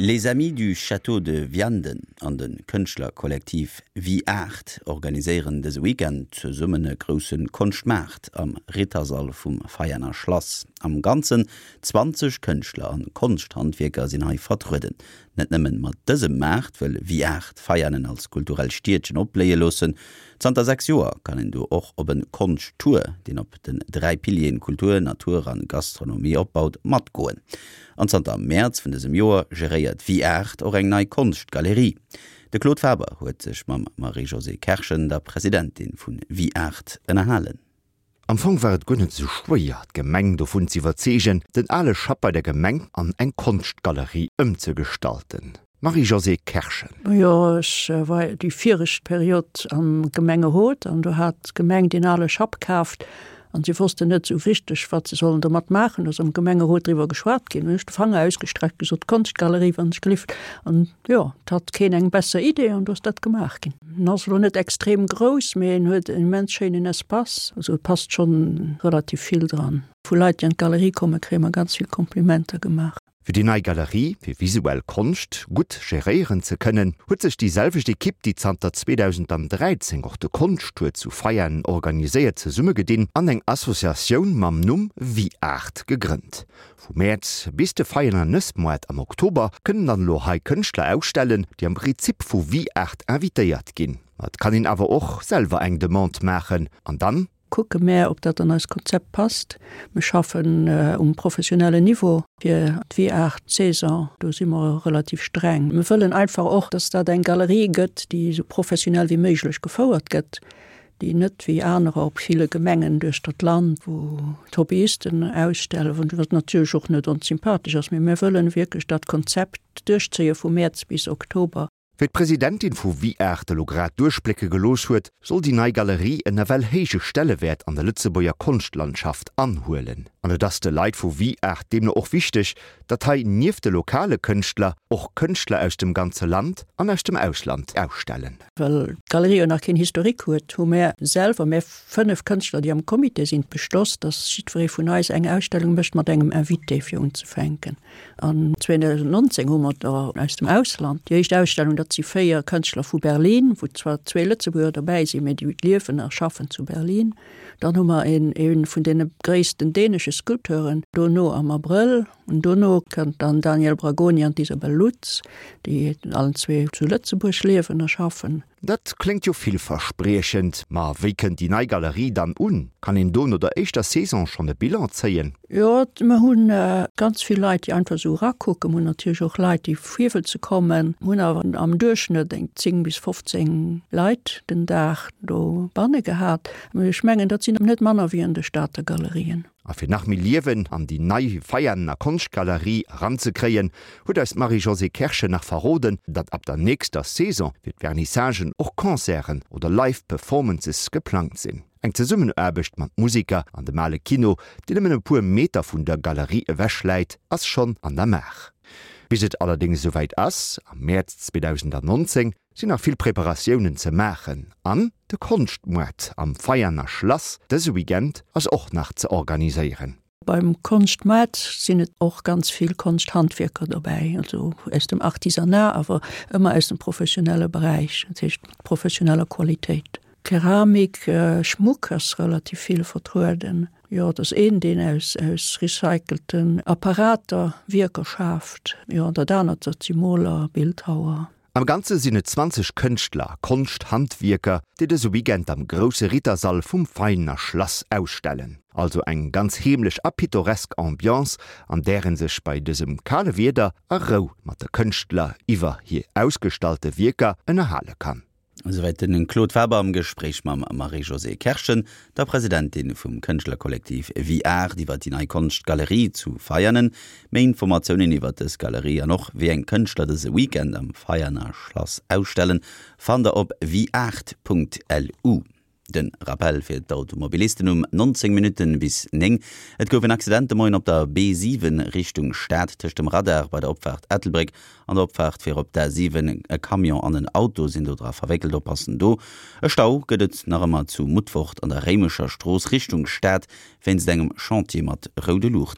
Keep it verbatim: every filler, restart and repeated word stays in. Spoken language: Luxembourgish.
Les Amis du Château de Vianden an de Kënschtlerkollektiv Viart organiséieren dëse Weekend zesummen e grousse Konschtmaart am Rittersall vum Veianer Schlass. Am Ganzen zwanzeg Kënschtler an Konschthandwierker sinn hei vertrueden. Net nëmmen mat dësem Maart wëll Viart Veianen als kulturell Stiedchen opbléie loossen. Zanter sechs Joer kann een do och op e Konschttour, deen op den dräi Pilieren Kultur, Natur an Gastronomie opbaut, matgoen. An zanter Mäerz vun dësem Joer geréiert Viart och eng nei Konschtgalerie. De Claude Faber huet sech mam Marie-Josée Kerschen, der Presidentin vun Viart, ënnerhalen. Am Fong war et guer net sou schwéier, d'Gemeng dovun z'iwwerzeegen, den ale Schapp bei der Gemeng an eng Konschtgalerie ëmzegestalten. Marie-Josée Kerschen. Jo, ech war déi viregt Period am Gemengerot an do hat d'Gemeng deen ale Schapp kaaft an si wossten net sou richteg, wat se sollen domat maachen. Do ass am Gemengerot driwwer geschwat ginn. Hunn ech de Fanger ausgestreckt, gesot, Konschtgalerie, wann ech gelift. An jo, et hat keen eng besser Idee an do ass dat gemaach ginn. En ass elo net extrem grouss, mee en huet en immens schéinen Espace. Also et passt schonn relativ vill dran. Vu Leit, déi an d'Galerie kommen, kréie mer ganz vill Komplimenter gemaach. Fir déi nei Galerie fir visuell Konscht gutt geréieren ze kënnen, huet sech déi selwecht Ekipp, déi zanter zweedausendandräizéng och de Konschttour zu Veianen organiséiert, zesummegedinn an eng Associatioun mam Numm Viart gegrënnt. Vu Mäerz bis de Veianer Nëssmoart am Oktober kënnen dann elo hei Kënschtler ausstellen, déi am Prinzip vu Viart invitéiert ginn. Ma et kann een awer och selwer eng Demande maachen an dann. Kucke mär, ob dat an eist Konzept passt. Mir schaffen um professionellen Niveau fir d'Viart-Saison. Do si mer relativ streng. Mir wëllen einfach och, dass dat eng Galerie gëtt, déi esou professionell wéi méiglech gefouert gëtt, déi net wéi anerer op ville Gemengen duerchter d'Land, wou d'Hobbyisten ausstellen, wat natierlech och net onsympathesch ass, mee mir wëllen wierklech dat Konzept duerchzéie vu Mäerz bis Oktober. Wéi d'Presidentin vu Viart elo grad duerchblécke gelooss huet, soll déi nei Galerie en nawell héije Stellewäert an der Lëtzebuerger Konschtlandschaft anhuelen. An et ass de Leit vu Viart deemno och wichteg, datt hei nieft de lokale Kënschtler och Kënschtler aus dem ganze Land an aus dem Ausland ausstellen. Well d'Galerie jo nach keen Historique huet, hu mär selwer, mär fënnef Kënschtler, déi am Comité sinn, beschloss, datt jiddweree vun eis eng Ausstellung mécht mat engem Invité fir unzefänken. An zweedausendnonzéng hu mer der aus dem Ausland déi éischt Ausstellung, dat si véier Kënschtler vu Berlin, wou zwar zwee Lëtzebuerger dobäi sinn, mee déi liewen a schaffen zu Berlin. Dann hu mer een, ee vun deene gréissten dänesche Sculpteuren dono am Abrëll. An dono kënnt dann Daniel Bragoni an d'Isabel Lutz, déi allen zwee zu Lëtzebuerg liewen a schaffen. Dat kléngt jo villverspriechend, ma wéi kënnt déi nei Galerie dann un? Kann een do no der éischter Saison schonn e Bilan zéien? Jo, mer hu ganz vill Leit, déi einfach esou erakucken. Mer hunn natierlech och Leit, déi virwëlze kommen. Mer hunn awer am Duerchschnëtt eng zéng bis fofzéng Leit den Dag dobanne gehat. Mee ech mengen, dat sinn net manner wéi an de Stater Galerien. A fir nach méi Liewen an déi nei Veianer Konschtgalerie eranzekréien, huet eis d'Marie-Josée Kerschen nach verroden, datt ab der nächster Saison fir d'Vernissagen och Concerten oder Live Performances geplangt sinn. Eng Zesummenaarbecht mat Museker an dem Ale Kino, deen nëmmen e puer Meter vun der Galerie ewech läit, ass schonn an der Maach. Bis et allerdéngs esouwäit ass, am Mäerz zweedausendannonzéng, sinn nach vill Preparatiounen ze maachen an de Konschtmoart am Veianer Schlass dëse Weekend ass och nach ze organiséieren. Beim Konschtmoart sinn et och ganz vill Konschthandwierker dobäi, also aus dem Artisanat, awer ëmmer aus dem professionelle Beräich, dat heescht mat professioneller Qualitéit. Keramik, Schmuck ass relativ vill vertrueden. Jo, et ass een, deen aus aus recycelten Apparater Wierker schaaft. Jo, an dat anert, dat si Moler, Bildhauer. Am Ganze sinn et zwanzeg Kënschtler a Konschthandwierker, déi dëse Weekend am grousse Rittersall vum Veiner Schlass ausstellen. Also eng ganz heemlech a pittoresk Ambiance, an där ee sech bei dësem kale Wieder a Rou mat de Kënschtler iwwer hir ausgestallte Wierker ënnerhale kann. Esouwäit den Claude Faber am Gespréich mam Marie-Josée Kerschen, der Presidentin vum Kënschtlerkollektiv Viart iwwer déi nei Konschtgalerie zu Veianen. Méi Informatiounen iwwer dës Galerie an och wéi eng Kënschtler dëse Weekend am Veianer Schlass ausstellen, fannt der op viart.lu. De Rappell fir d'Automobilisten um nonzéng Minutten bis néng, Et gouf en Accident de Moien op der B siwen Richtung Stad tëscht dem Radar bei der Opfaart Ettelbréck an der Opfaart fir op d'A siwen. E Camion an en Auto sinn do dra verwéckelt. Oppassen do, e Stau gëtt et nach ëmmer zu Mutfort an der Réimecher Strooss Richtung Stad wéinst engem Chantier mat roude Luuchten.